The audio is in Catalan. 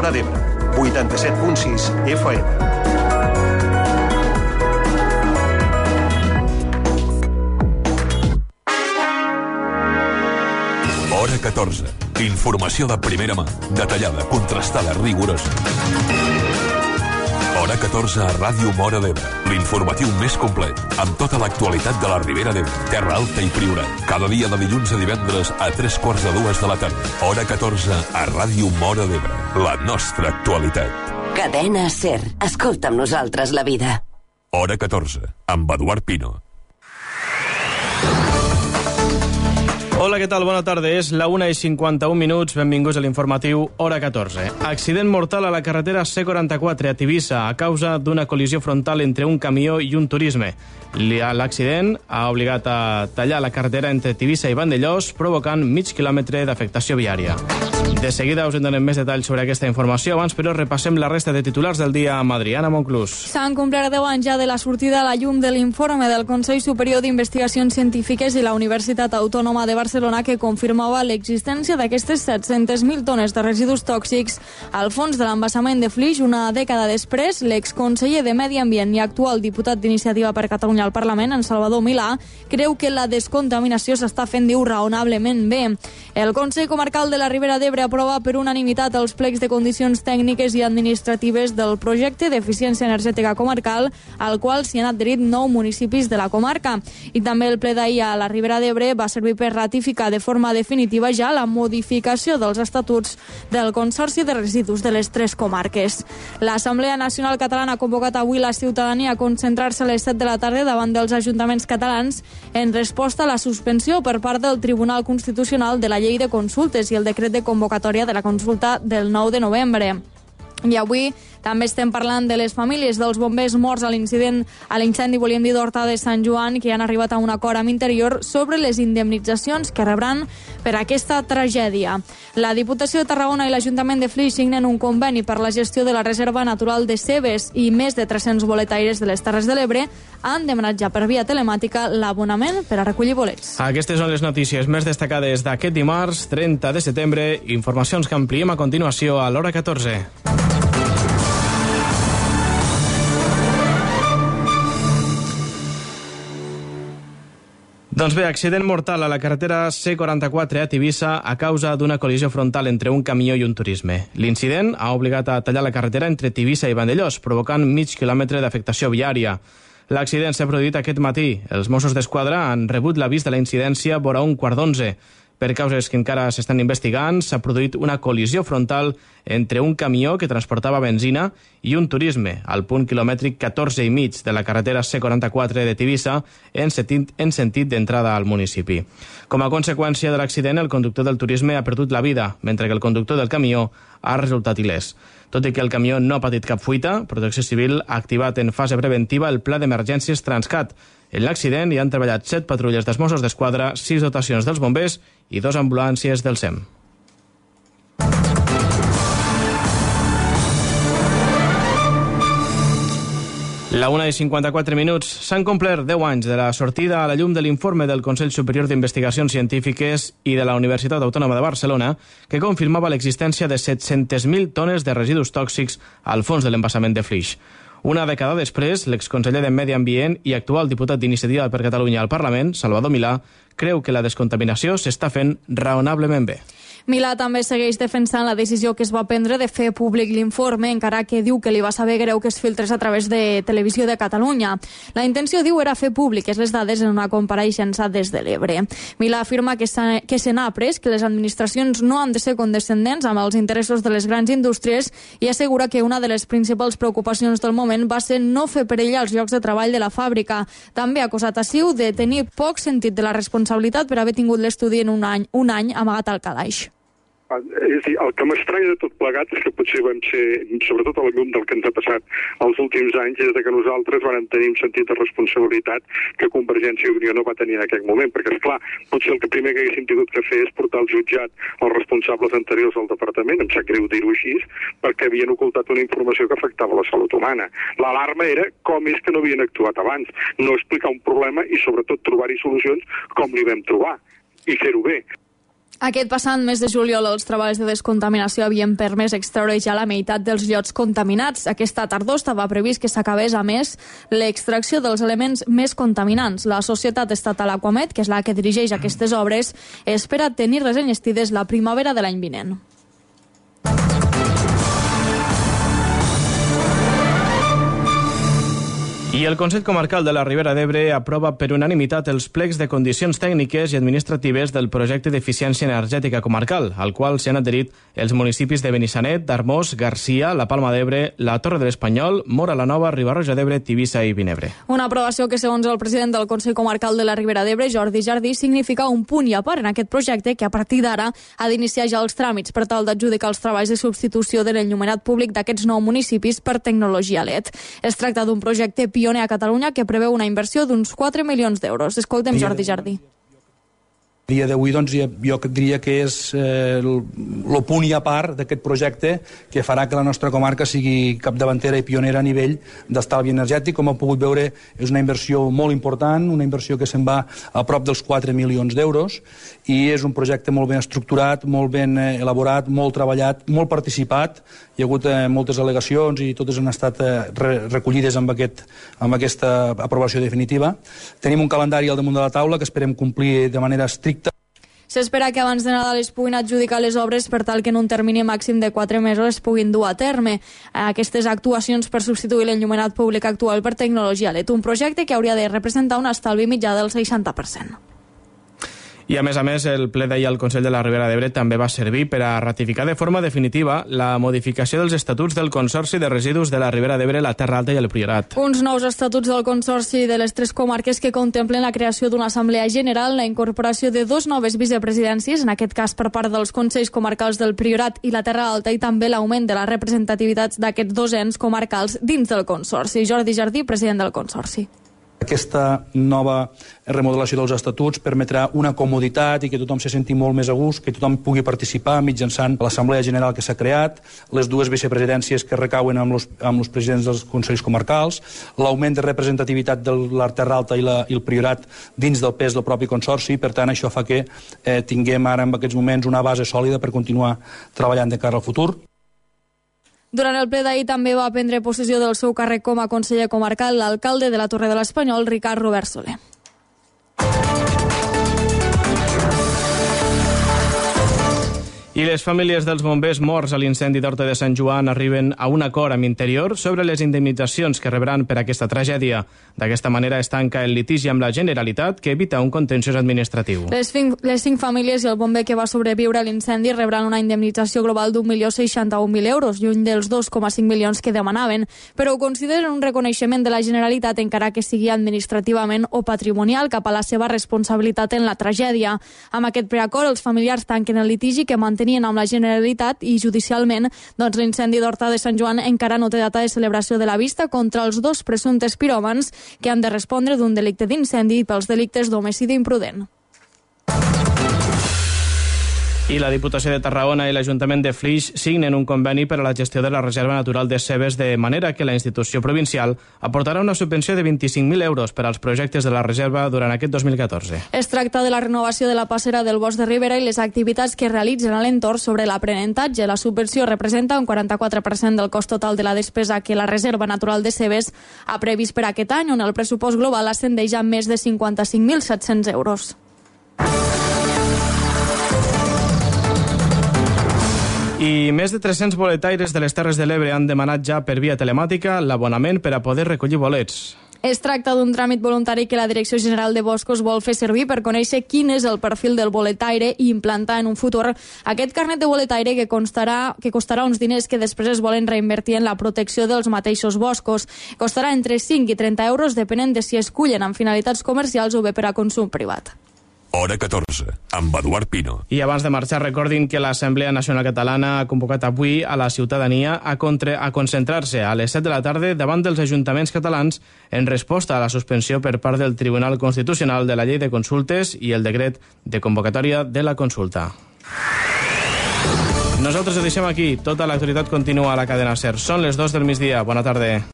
Móra d'Ebre, 87.6 FM. Hora 14. Informació de primera mà, detallada, contrastada, rigorosa. Hora 14 a Ràdio Móra d'Ebre. L'informatiu més complet, amb tota l'actualitat de la Ribera d'Ebre, Terra Alta i Priorat. Cada dia de dilluns a divendres a 3:45 de la tarda. Hora 14 a Ràdio Móra d'Ebre. La nostra actualitat. Cadena SER. Escolta amb nosaltres la vida. Hora 14, amb Eduard Pino. Hola, què tal? Bona tarda. És la 1:51. Benvinguts a l'informatiu Hora 14. Accident mortal a la carretera C44 a Tivissa a causa d'una col·lisió frontal entre un camió i un turisme. L'accident ha obligat a tallar la carretera entre Tivissa i Vandellòs, provocant mig quilòmetre d'afectació viària. De seguida us en donem més detalls sobre aquesta informació. Abans, però, repassem la resta de titulars del dia amb Adriana Monclús. S'han complert 10 anys ja de la sortida a la llum de l'informe del Consell Superior d'Investigacions Científiques i la Universitat Autònoma de Barcelona, que confirmava l'existència d'aquestes 700.000 tones de residus tòxics al fons de l'embassament de Flix. Una dècada després, l'exconseller de Medi Ambient i actual diputat d'Iniciativa per Catalunya al Parlament, en Salvador Milà, creu que la descontaminació s'està fent, diu, raonablement bé. El Consell Comarcal de la Ribera d'Ebre aprova per unanimitat els plecs de condicions tècniques i administratives del projecte d'eficiència energètica comarcal, al qual s'hi han adherit 9 municipis de la comarca. I també el ple d'ahir a la Ribera d'Ebre va servir per ratificar de forma definitiva ja la modificació dels estatuts del Consorci de Residus de les 3 comarques. L'Assemblea Nacional Catalana ha convocat avui la ciutadania a concentrar-se a les 7 de la tarda davant dels ajuntaments catalans en resposta a la suspensió per part del Tribunal Constitucional de la Llei de Consultes i el decret de convocatòria de la consulta del 9 de novembre. I avui també estem parlant de les famílies dels bombers morts a l'incendi, volíem dir, d'Horta de Sant Joan, que han arribat a un acord amb Interior sobre les indemnitzacions que rebran per aquesta tragèdia. La Diputació de Tarragona i l'Ajuntament de Flix signen un conveni per la gestió de la Reserva Natural de Cebes i més de 300 boletaires de les Terres de l'Ebre han demanat ja per via telemàtica l'abonament per a recollir bolets. Aquestes són les notícies més destacades d'aquest dimarts, 30 de setembre. Informacions que ampliem a continuació a l'Hora 14. Doncs bé, accident mortal a la carretera C44 a Tivissa a causa d'una col·lisió frontal entre un camió i un turisme. L'incident ha obligat a tallar la carretera entre Tivissa i Vandellòs, provocant mig quilòmetre d'afectació viària. L'accident s'ha produït aquest matí. Els Mossos d'Esquadra han rebut l'avís de la incidència vora 1:15. Per causes que encara s'estan investigant, s'ha produït una col·lisió frontal entre un camió que transportava benzina i un turisme al punt quilomètric 14,5 de la carretera C44 de Tivissa en sentit d'entrada al municipi. Com a conseqüència de l'accident, el conductor del turisme ha perdut la vida, mentre que el conductor del camió ha resultat il·lès. Tot i que el camió no ha patit cap fuita, Protecció Civil ha activat en fase preventiva el pla d'emergències Transcat. En l'accident hi han treballat 7 patrulles dels Mossos d'Esquadra, 6 dotacions dels bombers i 2 ambulàncies del SEM. La 1:54. S'han complert 10 anys de la sortida a la llum de l'informe del Consell Superior d'Investigacions Científiques i de la Universitat Autònoma de Barcelona, que confirmava l'existència de 700.000 tones de residus tòxics al fons de l'embassament de Flix. Una dècada després, l'exconseller de Medi Ambient i actual diputat d'Iniciativa per Catalunya al Parlament, Salvador Milà, creu que la descontaminació s'està fent raonablement bé. Milà també segueix defensant la decisió que es va prendre de fer públic l'informe, encara que diu que li va saber greu que es filtrés a través de Televisió de Catalunya. La intenció, diu, era fer públiques les dades en una compareixença des de l'Ebre. Milà afirma que se n'ha après, que les administracions no han de ser condescendents amb els interessos de les grans indústries i assegura que una de les principals preocupacions del moment va ser no fer perillar els llocs de treball de la fàbrica. També ha acusat a CiU de tenir poc sentit de la responsabilitat per haver tingut l'estudi en un any amagat al calaix. És a dir, el que m'estranya de tot plegat és que potser vam ser, sobretot a la llum del que ens ha passat els últims anys, és que nosaltres vam tenir un sentit de responsabilitat que Convergència i Unió no va tenir en aquell moment, perquè, esclar, potser el que primer que haguéssim tingut que fer és portar al jutjat els responsables anteriors del departament, em sap greu dir-ho així, perquè havien ocultat una informació que afectava la salut humana. L'alarma era com és que no havien actuat abans, no explicar un problema i, sobretot, trobar-hi solucions com li vam trobar i fer-ho bé. Aquest passat mes de juliol els treballs de descontaminació havien permès extreure ja la meitat dels llots contaminats. Aquesta tardor estava previst que s'acabés, a més, l'extracció dels elements més contaminants. La Societat Estatal Aquamed, que és la que dirigeix aquestes obres, espera tenir-les enllestides la primavera de l'any vinent. I el Consell Comarcal de la Ribera d'Ebre aprova per unanimitat els plecs de condicions tècniques i administratives del projecte d'eficiència energètica comarcal, al qual s'hi han adherit els municipis de Benissanet, d'Armós, Garcia, la Palma d'Ebre, la Torre de l'Espanyol, Móra la Nova, Riba-roja d'Ebre, Tivissa i Vinebre. Una aprovació que, segons el president del Consell Comarcal de la Ribera d'Ebre, Jordi Jardí, significa un punt i a part en aquest projecte que a partir d'ara ha d'iniciar ja els tràmits per tal d'adjudicar els treballs de substitució de l'enllumenat públic d'aquests 9 municipis per tecnologia LED. Es tracta d'un projecte pioner a Catalunya que preveu una inversió d'uns 4 milions d'euros. Escoltem Jordi Jardí. A dia d'avui, doncs, jo diria que és el punt i a part d'aquest projecte que farà que la nostra comarca sigui capdavantera i pionera a nivell d'estalvi energètic. Com heu pogut veure, és una inversió molt important, una inversió que se'n va a prop dels 4 milions d'euros i és un projecte molt ben estructurat, molt ben elaborat, molt treballat, molt participat. Hi ha hagut moltes al·legacions i totes han estat recollides amb aquesta aprovació definitiva. Tenim un calendari al damunt de la taula que esperem complir de manera estricta. S'espera que abans de Nadal es puguin adjudicar les obres per tal que en un termini màxim de 4 mesos es puguin dur a terme aquestes actuacions per substituir l'enllumenat públic actual per tecnologia LED, un projecte que hauria de representar un estalvi mitjà del 60%. I a més, el ple d'ahir al Consell de la Ribera d'Ebre també va servir per a ratificar de forma definitiva la modificació dels estatuts del Consorci de Residus de la Ribera d'Ebre, la Terra Alta i el Priorat. Uns nous estatuts del Consorci de les 3 comarques que contemplen la creació d'una assemblea general, la incorporació de 2 noves vicepresidències, en aquest cas per part dels Consells Comarcals del Priorat i la Terra Alta, i també l'augment de la representativitat d'aquests 2 ens comarcals dins del Consorci. Jordi Jardí, president del Consorci. Aquesta nova remodelació dels estatuts permetrà una comoditat i que tothom se senti molt més a gust, que tothom pugui participar mitjançant l'Assemblea General que s'ha creat, les 2 vicepresidències que recauen amb els presidents dels Consells Comarcals, l'augment de representativitat de la Terra Alta i el Priorat dins del pes del propi Consorci. Per tant, això fa que tinguem ara en aquests moments una base sòlida per continuar treballant de cara al futur. Durant el ple d'ahir també va prendre possessió del seu càrrec com a conseller comarcal l'alcalde de la Torre de l'Espanyol, Ricard Robert Soler. I les famílies dels bombers morts a l'incendi d'Horta de Sant Joan arriben a un acord amb Interior sobre les indemnitzacions que rebran per aquesta tragèdia. D'aquesta manera es tanca el litigi amb la Generalitat, que evita un contenciós administratiu. Les 5 famílies i el bomber que va sobreviure a l'incendi rebran una indemnització global d'1.061.000 euros, lluny dels 2,5 milions que demanaven, però ho consideren un reconeixement de la Generalitat, encara que sigui administrativament o patrimonial, cap a la seva responsabilitat en la tragèdia. Amb aquest preacord, els familiars tanquen el litigi que mantenien amb la Generalitat i judicialment l'incendi d'Horta de Sant Joan encara no té data de celebració de la vista contra els 2 presumptes piròmans que han de respondre d'un delicte d'incendi i pels delictes d'homicidi imprudent. I la Diputació de Tarragona i l'Ajuntament de Flix signen un conveni per a la gestió de la Reserva Natural de Cebes, de manera que la institució provincial aportarà una subvenció de 25.000 euros per als projectes de la reserva durant aquest 2014. Es tracta de la renovació de la passera del Bosc de Ribera i les activitats que realitzen a l'entorn sobre l'aprenentatge. La subvenció representa un 44% del cost total de la despesa que la Reserva Natural de Cebes ha previst per aquest any, on el pressupost global ascendeix a més de 55.700 euros. I més de 300 boletaires de les Terres de l'Ebre han demanat ja per via telemàtica l'abonament per a poder recollir bolets. Es tracta d'un tràmit voluntari que la Direcció General de Boscos vol fer servir per conèixer quin és el perfil del boletaire i implantar en un futur aquest carnet de boletaire que costarà uns diners que després es volen reinvertir en la protecció dels mateixos boscos. Costarà entre 5 i 30 euros, depenent de si es cullen amb finalitats comercials o bé per a consum privat. Hora 14, amb Eduard Pino. I abans de marxar, recordin que l'Assemblea Nacional Catalana ha convocat avui a la ciutadania a concentrar-se a les 7 de la tarda davant dels ajuntaments catalans en resposta a la suspensió per part del Tribunal Constitucional de la Llei de Consultes i el decret de convocatòria de la consulta. Nosaltres ho deixem aquí. Tota l'actualitat continua a la cadena SER. Són les 2 del migdia. Bona tarda.